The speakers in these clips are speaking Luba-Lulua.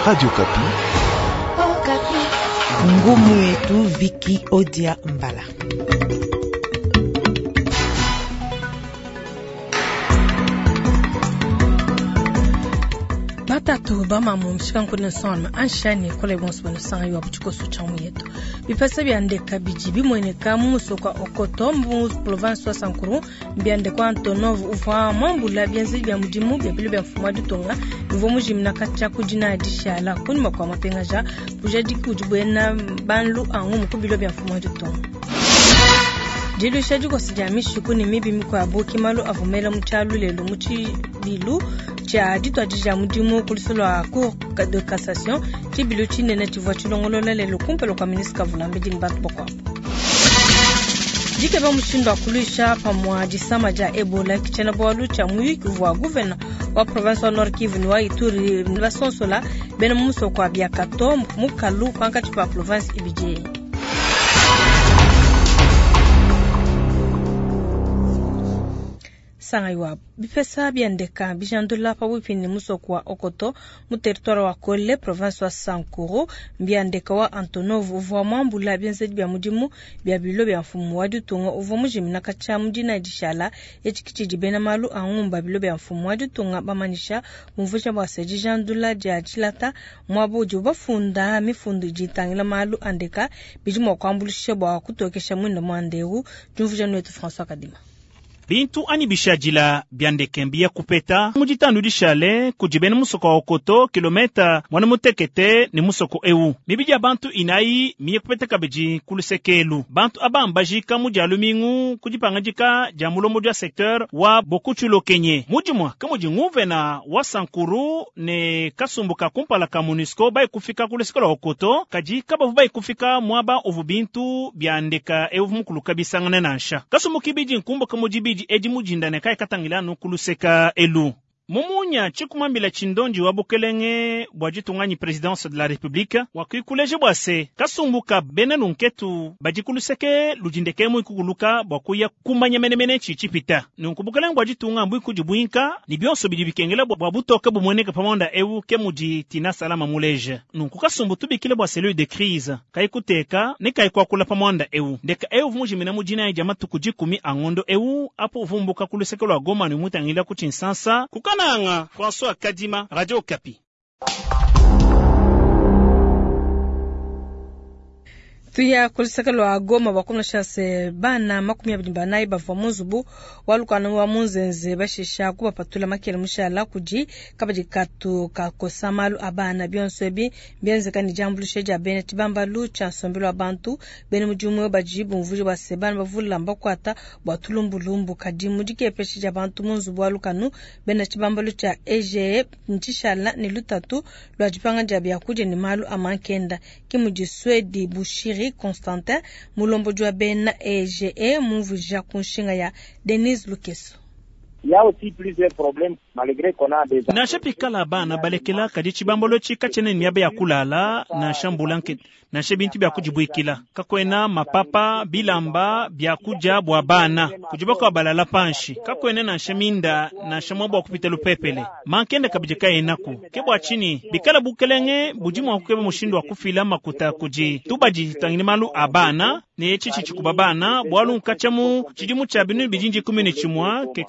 Radio Okapi. Ngumu yetu Viki Odia Mbala. Batatu bamamu mshikankuni nsonga anshani kole bonso banusanga iwa buchikoso cha muyetu bipesa bya ndeka bidi bimueneka mu musoko wa Okoto mu province wa Sankuru mbiandekwa Antonov uvua mwambula bienzedi bia mudimu bia bilo bia mfumu wa ditunga bivua mujimina katshia ku dina dishala kunyima kua mapengaja bujadiki budi buena banlu angumu ku bilo bia mfumu wa ditunga. Diluisha dikosa dia mishiku ne mibi mikuabu ke malu avua mela mu tshialu lelu mu tshibilu tshia dituadija mudimu ku luseke lua Cour de cassation. Tshibilu tshinene tshivua tshilongolola lelu kumpala kua ministre Kavulambedi ne bantu bakuabu. Dikeba mushindu wa kuluisha pamua disama dia Ebola ke tshiena-bualu tshia muyuki uvua gouverneur wa province wa Nord Kivu ne wa Ituri basonsola bena mu musoko wa Biakato mukalu pankatshi pa province ibidi eyi. Sanga iwabu bipesa bia ndeka bijandula pabuipi ne musoko wa Okoto mu territoire wa Kole province wa Sankuru. Mbia ndeka wa Antonov uvua muambula bienzedi bia mudimu bia bilo bia mfumu wa ditunga uvua mujimina katshia mu dina dishala. Etshi ke tshidi bena malu a ngumba bilo bia mfumu wa ditunga bamanyisha bumvuija bua se dijandula dia tshilata muaba udibu bafunda mifundu idi itangila malu a ndeka bidi mua kuambuluisha bua kutokesha muinda muanda eu. Diumvuija nuetu François Kadima. Bintu anyi bishadila bia ndeke mbiya kupeta mu ditanu dishale kudi bena musoko wa Okoto kilometa muanda mutekete ne musoko eu. Mibidi ya bantu inayi miye kupeta kabidi ku luseke elu. Bantu aba mbajika mu dia lumingu ku dipangadika dia mulombodi wa secteur wa Bokutshulokenye. Mu dimue ke mudi nguvena wa Sankuru ne kasumbu ka kumpala ka MONUSCO bayi kufika ku luseke lua Okoto, kadi kabavu bayi kufika muaba uvu bintu bia ndeka eu mukuluka bisangane nansha. Kasumbu kibidi nkumbuka mu dibidi edi mujinda ne kai katangila anu kuluseka elu. Mumunya tshikumambila tshindondi wa bukelenge bua ditunga presidence de la République wakuikuleje bua se kasumbu ka bena nunketu badi kuluseke ludindeke mu ikukuluka bua kuya kumanya menemene tshi tshipita. Nunku bukelenge bua ditunga mbui kudi buinka ni bionso bidi bikengela bua butoke bumueneka pamonda eu ke mudi Tina Salama muleje. Nunku kasumbu tubikile bua cellule de crise kai kuteka ne kai kuakula pamonda eu. Ndeka eu mujimina mujina ya matuku dikumi a ngondo eu apo uvumbuka kuluseke lwa Goma ni mutangila ku Tshinsansa kukana Nanga, François Kadima, Radio Okapi. Tuya kuluseke lwa Goma bakumna se bana 24 bavua mu nzubu wa lukanu wa Munzenze bashisha kubapatula makele mushala kudi kabadi katu kakosa malu a bana bionso ebi bienzeka ne diambuluisha dia bena tshibambalu tshia nsombelu wa bantu bena mudimu badi bumvuija bua se bana bavula mbakuata bua tulumbulumbu kadi mu dikepesha dia bantu mu nzubu wa lukanu bena tshibambalu tshia EGE ntshishala ne lutatu lua dipanga dia biakudia ne malu a mankenda ke mudi Swedi Bushiri Constantin mulombodi wa bena EGE mumvuija ku nshinga ya Denise Lukeso. Il y a aussi plusieurs problèmes malgré qu'on a des Nansha pikala bana balekela kadi tshibambalo tshika tshiene miaba ya kulala nansha mbulanke nansha bintu bia kudibuikila kakwena mapapa bilamba bia kudia bua bana kudibaka balala panshi kakwena nansha minda nansha mwabo wa kupita lupepele mankenda kabidi kayenaku ke bua tshini bikala bukelenge budi mua kukeba mushindu wa kufila makuta kudi tubadi tangile malu a bana ne tshitshi tshikuba bana bualu nkatshiamu tshidimu tshia binu bidindi 11 ke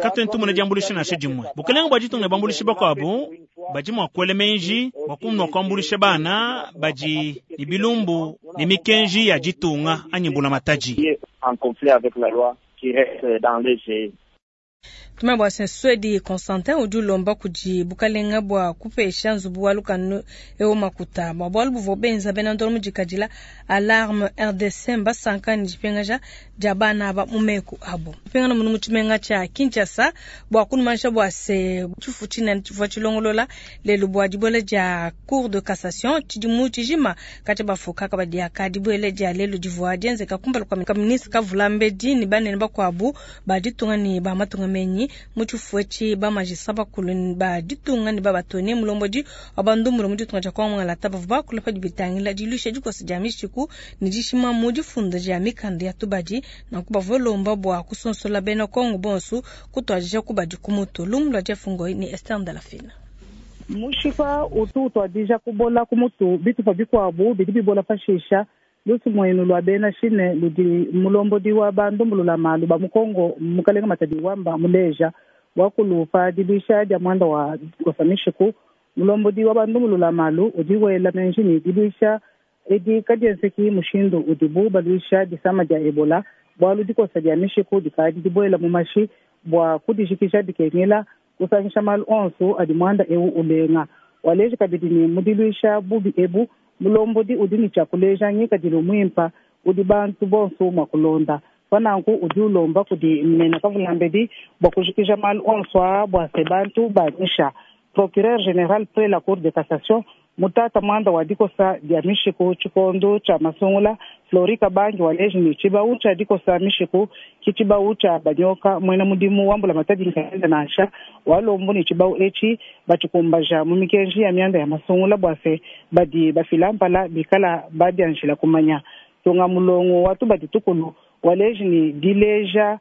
katwentumuna diambuluisha nansha dimue bukelenge bua ditunga bambuluisha bakuabu badi mua kuela menji bua kunua kuambuluisha bana badi ne bilumbu ne mikenji ya ditunga anyi mbulamatadi. En conflit avec la loi qui reste dans les G. Tuma bua Swedi Constantin udi ulomba kudi bukalenga bua kupesha nzubu wa lukanu eu makuta bua bualu buvua benza bena ndolo mudikadila Alarme RDC mbasanka ne dipengaja dia bana aba mu meku abo. Pengana munu mu tshimenga tshia Kinshasa bua kunumanisha bua se tshifu tshinene tshivua tshilongolola lelu bua dibuela dia Cour de cassation tshidimu tshijima katshia bafuka kabadiaka dibuela dia lelu divua dienzeka kumpala kua ministre Kavulambedi ne banene bakuabu ba ditunga ne ba matunga menyi mu tshifu etshi ba magistrat bakulu ba ditunga ne babatone mulombodi wa bandumbulu mu ditunga dia Kongo Ngalata bavua bakula padi bitangila diluisha dikosa dia mishiku ne dishima mu difunda dia mikanda ya tubadi nanku bavua lomba bua kusonsola bena Kongo bonso kutuadija kubadi ku mutu. Lumu lua Jeff Ngoi ne Esther Ndalafina. Mushipa utu utuadija kubola ku mutu, bitupa bikuabu bidi bibola pashisha. Lusumuinu lua bena chine ludi mulombodi wa ba ndumbulula malu ba mu congo mukalenga Matadi Wamba muleja. Wakulu pa diluisha dia muanda wa dikosa mishiku, mulombodi wa ba ndumbulula malu udi wela menji ni diluisha edi kadienzeki mushindu udibu baluisha disama dia ebola bualu dikosa dia mishiku dikadi dibuela mu mashi. Bua kudijikija bikengela kusangisha malu onso adi muanda eu ulenga. Waleji kabidi ni mu diluisha bubi ebu mulombodi udi ni tshia kuleja ngikadilu muimpa udi bantu bonso mua kulonda. Pananku udi ulomba kudi mena kavulambedi bua kujikija malu onso aa bua se bantu banyisha. Procureur general près la cour de cassation mutata muanda wa dikosa dia mishiku tshikondo tshia masungula Flori Kabangi waleji ni tshibau tshia dikosa mishiku ki tshibau tshia banyoka muena mudimu wa mbulamatadi nkayenda nansha walombu ni tshibau etshi batshikumbaja mu mikenji ya mianda ya masungula bua se badi bafila mpala bikala badianjila kumanya. Tunga mulongo wa tubadi tukulu waleji ni dileja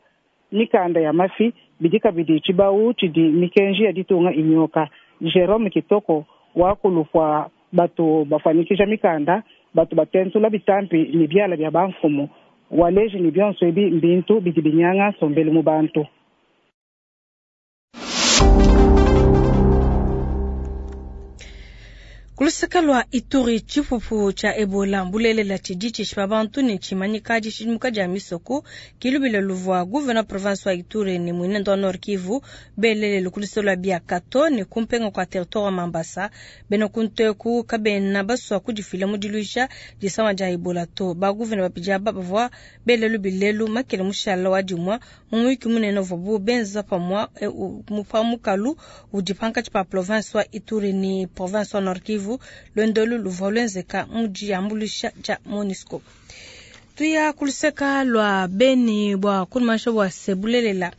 mikanda ya mafi bidi kabidi tshibau tshidi mikenji ya ditunga inyoka. Jerome Kitoko wakulupua batu bafuanyikija mikanda, batu batentula bitampi ni biala bia bamfumu. Waleji ni bionso ebi mbintu bidi binyanga nsombelu mu bantu. Kuluseka lua Ituri tshipupu tshia Ebola mbulelela tshidi tshishipa bantu ne tshimanyika dishidimuka dia misoko kilubila luvua gouverneur province wa Ituri ne muinende wa Nord Kivu belelele ku luseke lua Biakato ne kumpenga kua territoire wa Mambasa. Bena kunteku kabena basua kudifila mu diluisha disama dia Ebola to. Ba gouverneur babidi aba bavua bele lubilelu makele mushala wa dimua mu muyuki munene uvuabu benza pamua pa mukalu udi pankatshi pa province wa Ituri ne province wa Nord Kivu. Luendolu luvua luenzeka mu diambuluisha dia MONUSCO. Tuya kuluseka lua Beni bua kunumanisha bua se bulelela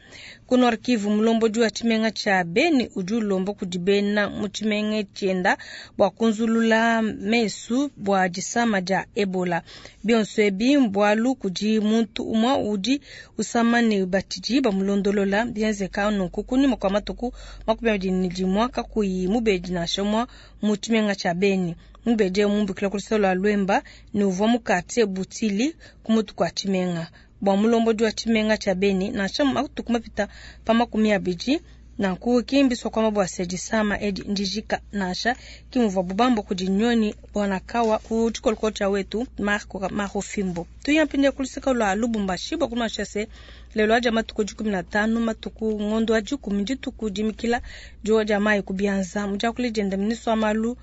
ku Nord Kivu mulombodi wa tshimenga tshia Beni udi ulomba kudi bena mu tshimenga tshienda bua kunzulula mesu bua disama dia Ebola. Bionso ebi mbualu kudi muntu umue udi usama ne batshidi bamulondolola bienzeka nunku kunyima kua matuku 21 kakuyi mubedi nansha umue mu tshimenga tshia Beni. Mubedi eu mumbukila ku luseke lua Lwemba ne uvua mu quartier Butili ku mutu kua tshimenga. Bua mulombodi wa tshimenga tshia Beni nansha matuku mapita pa 20 nanku kimbiswa kwamba bua se disama edi ndijika nansha kimuvua bubambo kudi nyoni bwanakawa ku tshikolokolo tshia wetu Marco Marofimbo. Tuya mpindieu ku luseke lua Lubumbashi bua kunumanisha se lelo adia matuku 15 matuku ngondo wa 10 dituku dimikila diowa dia mayi ku bianza. Mudiakule dienda ministre wa malu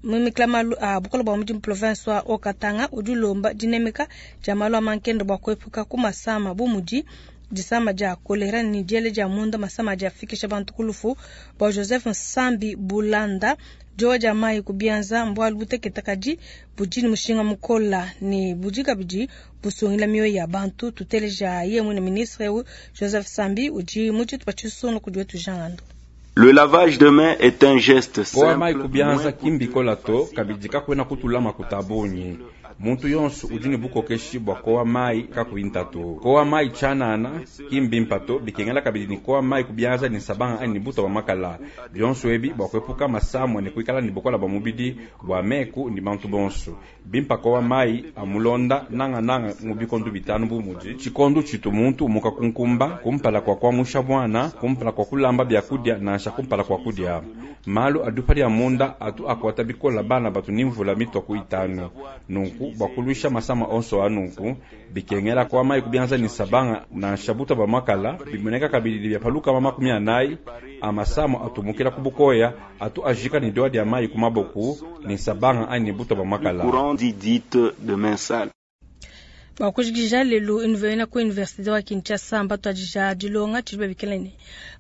mumikila malu a bukola bua mudimu province wa Haut-Katanga udi ulomba dinemeka dia malu a mankenda bua kuepuka ku masama bu mudi disama dia kolera ne diele dia munda, masama adi afikisha bantu ku lufu. Bua Joseph Nsambi Bulanda, diowa dia mayi ku bianza mbualu butekete kadi budi ne mushinga mukola ne budi kabidi busungila mioyo ya bantu. Tuteleja ye mwine ministre eu Joseph Sambi udi mu tshitupa tshisungula kudi wetu Jean Ngando. Le lavage de mains est un geste Kowa mai simple, ku bianza moins kimbi kola to coûteux, kabidi kakwena kutula makuta bunyi. Muntu yonso udi ne bukokeshi bua kowa mai kakuyi ntatu. Kowa mai tshianana kimbi mpato bikengela kabidi ni kowa mai ku bianza ni nsabanga anyi ni buta bua makala. Bionso ebi bua kuepuka masamua ne kuikala ne bukola bua mubidi bua meku ni bantu bonso. Bimpa kowa mai amulonda nanga nanga mu bikondo bitanu bu mudi. Tshikondo tshitu muntu umuka kunkumba, kumpala kua kuamusha bwana, kumpala kua kulamba byakudia nansha kumpala kua kudia. Malu adu padi ya munda atu akwata bikola bana batu ni mvula mitwa itanu. Nunku bua kuluisha masama onso anunku bikengela kwa mai kubianza ni sabanga na shabuta ba makala bimoneka kabidi bya paluka mama 40 amasamo atumukila kubukoya atu ajika ni doa dia mai kumaboku ni sabanga ani buta ba makala. Courant dit dite de main sale. Bakujikija lelo université ku université wa Kinshasa mbatwadija dilonga tshidi babikila ne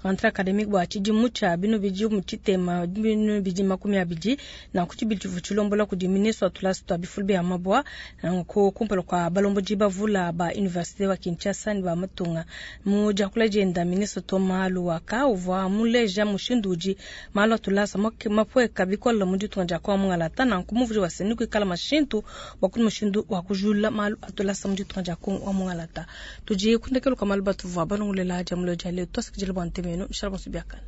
rentrée académique bua tshidimu tshia binu bidi mu tshitema binu bidi 20 na ku tshibidi tshivu tshilombola kudi ministre wa tulasa twa bifulu bia mabwa nku kumpala kua balombodi bavula ba université wa Kinshasa ne ba matunga. Mu diakula dienda ministre Thomas Luhaka uvua muleja mushindu udi malu a tulasa mapueka bikola mu ditunga dia kwa mungalata na nku wa seni kuikala mashintu bua kudi mushindu wa kujula malu a tulasa mu ditunga dia Kongo wa mungalata. Tudi kundekelo kwa malu batuvua balongolela dia mulo dia leo twasikijila bua ntemeno mishala bonso biakana.